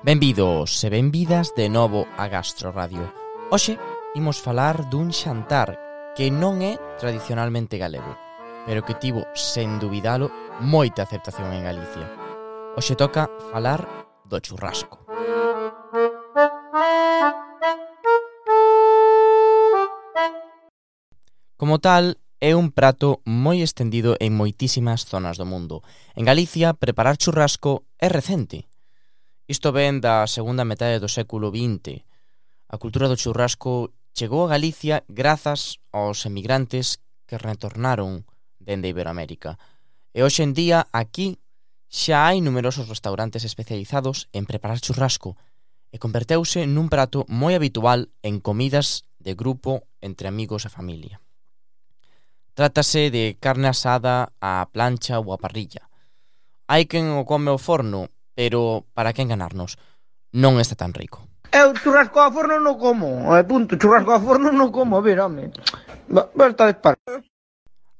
Benvidos e benvidas de novo a Gastro Radio. Hoxe imos falar dun xantar que non é tradicionalmente galego, pero que tivo, sen dubidalo, moita aceptación en Galicia. Hoxe toca falar do churrasco. Como tal, é un prato moi estendido en moitísimas zonas do mundo. En Galicia, preparar churrasco é recente. Isto ven da segunda metade do século XX. A cultura do churrasco chegou a Galicia grazas aos emigrantes que retornaron dende Iberoamérica. E hoxe en día, aquí, xa hai numerosos restaurantes especializados en preparar churrasco e converteuse nun prato moi habitual en comidas de grupo entre amigos e familia. Trátase de carne asada á plancha ou á parrilla. Hai quen o come ao forno, pero para que enganarnos, non está tan rico. Eu churrasco ao forno non como, punto, churrasco ao forno non como, a ver, home. Basta de par.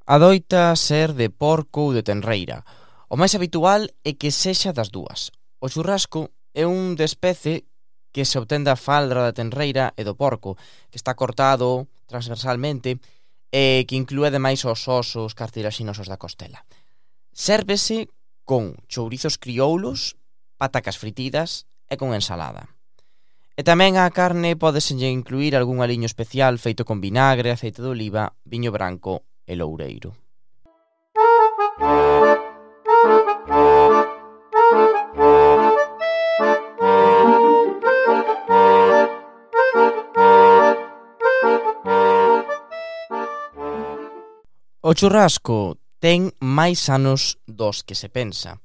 Adoita ser de porco ou de tenreira. O máis habitual é que sexa das dúas. O churrasco é un despece que se obtén da faldra da tenreira e do porco, que está cortado transversalmente e que inclúe ademais os osos cartilaxinosos da costela. Sérvese con chourizos crioulos, patacas fritidas e con ensalada. E tamén á carne pódeselle incluir algún aliño especial feito con vinagre, aceite de oliva, viño branco e loureiro. O churrasco ten máis anos dos que se pensa,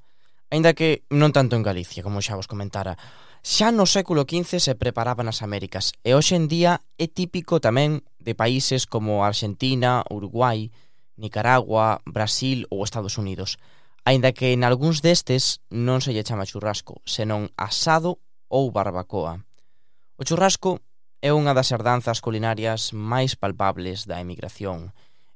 aínda que non tanto en Galicia, como xa vos comentara. Xa no século XV se preparaba nas Américas e hoxe en día é típico tamén de países como Argentina, Uruguai, Nicaragua, Brasil ou Estados Unidos, aínda que en algúns destes non se lle chama churrasco, senón asado ou barbacoa. O churrasco é unha das herdanzas culinarias máis palpables da emigración,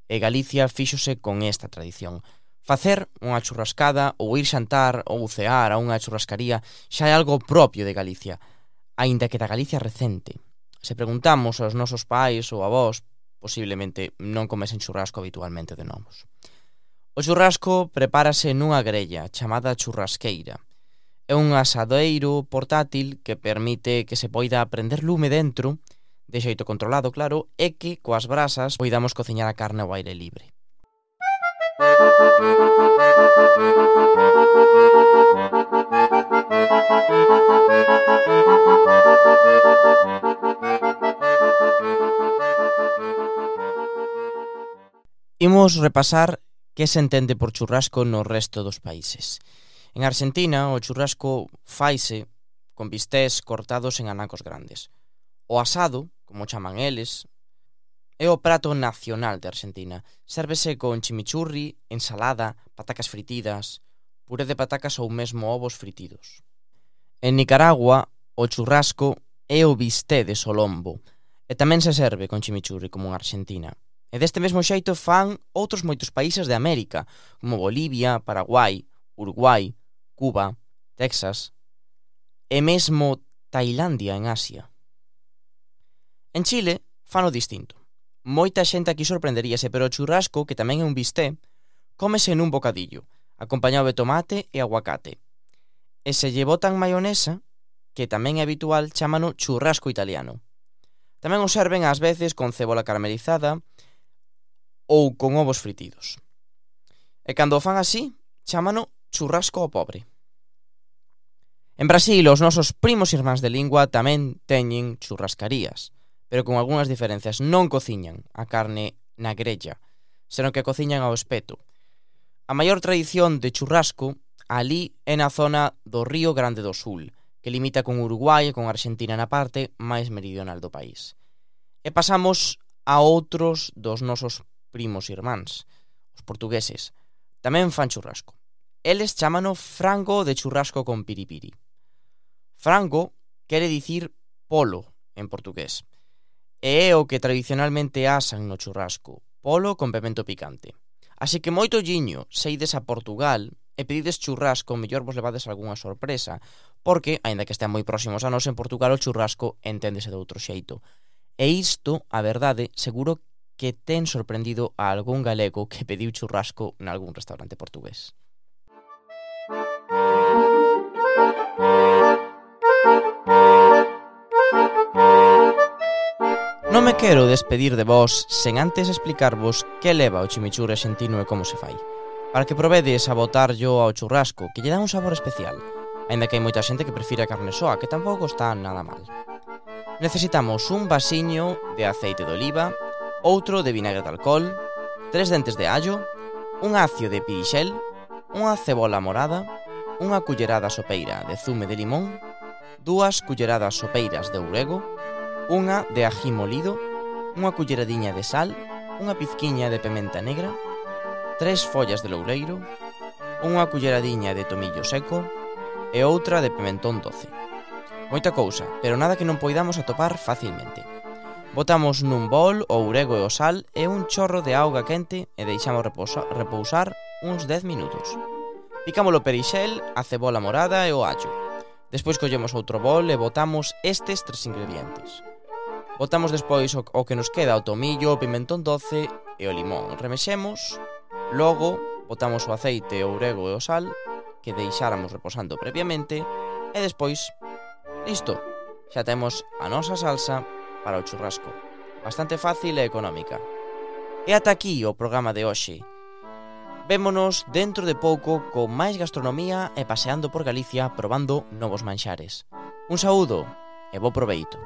e Galicia fíxose con esta tradición. Facer unha churrascada ou ir xantar ou cear a unha churrascaría xa é algo propio de Galicia, aínda que da Galicia recente. Se preguntamos aos nosos pais ou avós, posiblemente non comesen churrasco habitualmente de novos. O churrasco prepárase nunha grella chamada churrasqueira. É un asadeiro portátil que permite que se poida prender lume dentro, de xeito controlado, claro, e que coas brasas poidamos cociñar a carne ao aire libre. Imos repasar que se entende por churrasco no resto dos países. En Argentina, o churrasco faise con bistés cortados en anacos grandes. O asado, como chaman eles, é o prato nacional de Argentina. Sérvese con chimichurri, ensalada, patacas fritidas, puré de patacas ou mesmo ovos fritidos. En Nicaragua, o churrasco é o bisté de solombo e tamén se serve con chimichurri como en Argentina. E deste mesmo xeito fan outros moitos países de América, como Bolivia, Paraguai, Uruguai, Cuba, Texas e mesmo Tailandia en Asia. En Chile fano distinto. Moita xente aquí sorprenderíase, pero o churrasco, que tamén é un bisté, cómese nun bocadillo, acompañado de tomate e aguacate. E se lle botan maionesa, que tamén é habitual, chámano churrasco italiano. Tamén o serven ás veces con cebola caramelizada ou con ovos fritidos. E cando o fan así, chámano churrasco ao pobre. En Brasil, os nosos primos irmáns de lingua tamén teñen churrascarías, pero con algunhas diferencias. Non cociñan a carne na grella, senón que cociñan ao espeto. A maior tradición de churrasco alí é na zona do Río Grande do Sul, que limita con Uruguai e con Argentina na parte máis meridional do país. E pasamos a outros dos nosos primos irmáns, os portugueses. Tamén fan churrasco. Eles chámano frango de churrasco con piripiri. Frango quere dicir polo en portugués, e é o que tradicionalmente asan no churrasco, polo con pemento picante. Así que moito olliño se ides a Portugal e pedides churrasco, mellor vos levades algunha sorpresa, porque, aínda que estean moi próximos a nós, en Portugal o churrasco enténdese de outro xeito. E isto, a verdade, seguro que ten sorprendido a algún galego que pediu churrasco nalgún restaurante portugués. Non me quero despedir de vos sen antes explicarvos que leva o chimichurri argentino e como se fai, para que provedes a botarllo ao churrasco, que lle dá un sabor especial, aínda que hai moita xente que prefire a carne soa, que tampouco está nada mal. Necesitamos un vasiño de aceite de oliva, outro de vinagre de alcohol, 3 dentes de allo, un acio de pirixel, unha cebola morada, unha cullerada sopeira de zume de limón, 2 culleradas sopeiras de orégano, unha de ají molido, unha culleradiña de sal, unha pizquiña de pementa negra, 3 follas de loureiro, unha culleradiña de tomillo seco e outra de pimentón doce. Moita cousa, pero nada que non poidamos atopar facilmente. Botamos nun bol o ourego e o sal e un chorro de auga quente e deixamos repousar uns 10 minutos. Picamos o perixel, a cebola morada e o allo. Despois collemos outro bol e botamos estes 3 ingredientes. Botamos despois o que nos queda, o tomillo, o pimentón doce e o limón. Remexemos, logo botamos o aceite, o ourego e o sal que deixáramos reposando previamente e despois, listo, xa temos a nosa salsa para o churrasco. Bastante fácil e económica. E ata aquí o programa de hoxe. Vémonos dentro de pouco con máis gastronomía e paseando por Galicia probando novos manxares. Un saúdo e bo proveito.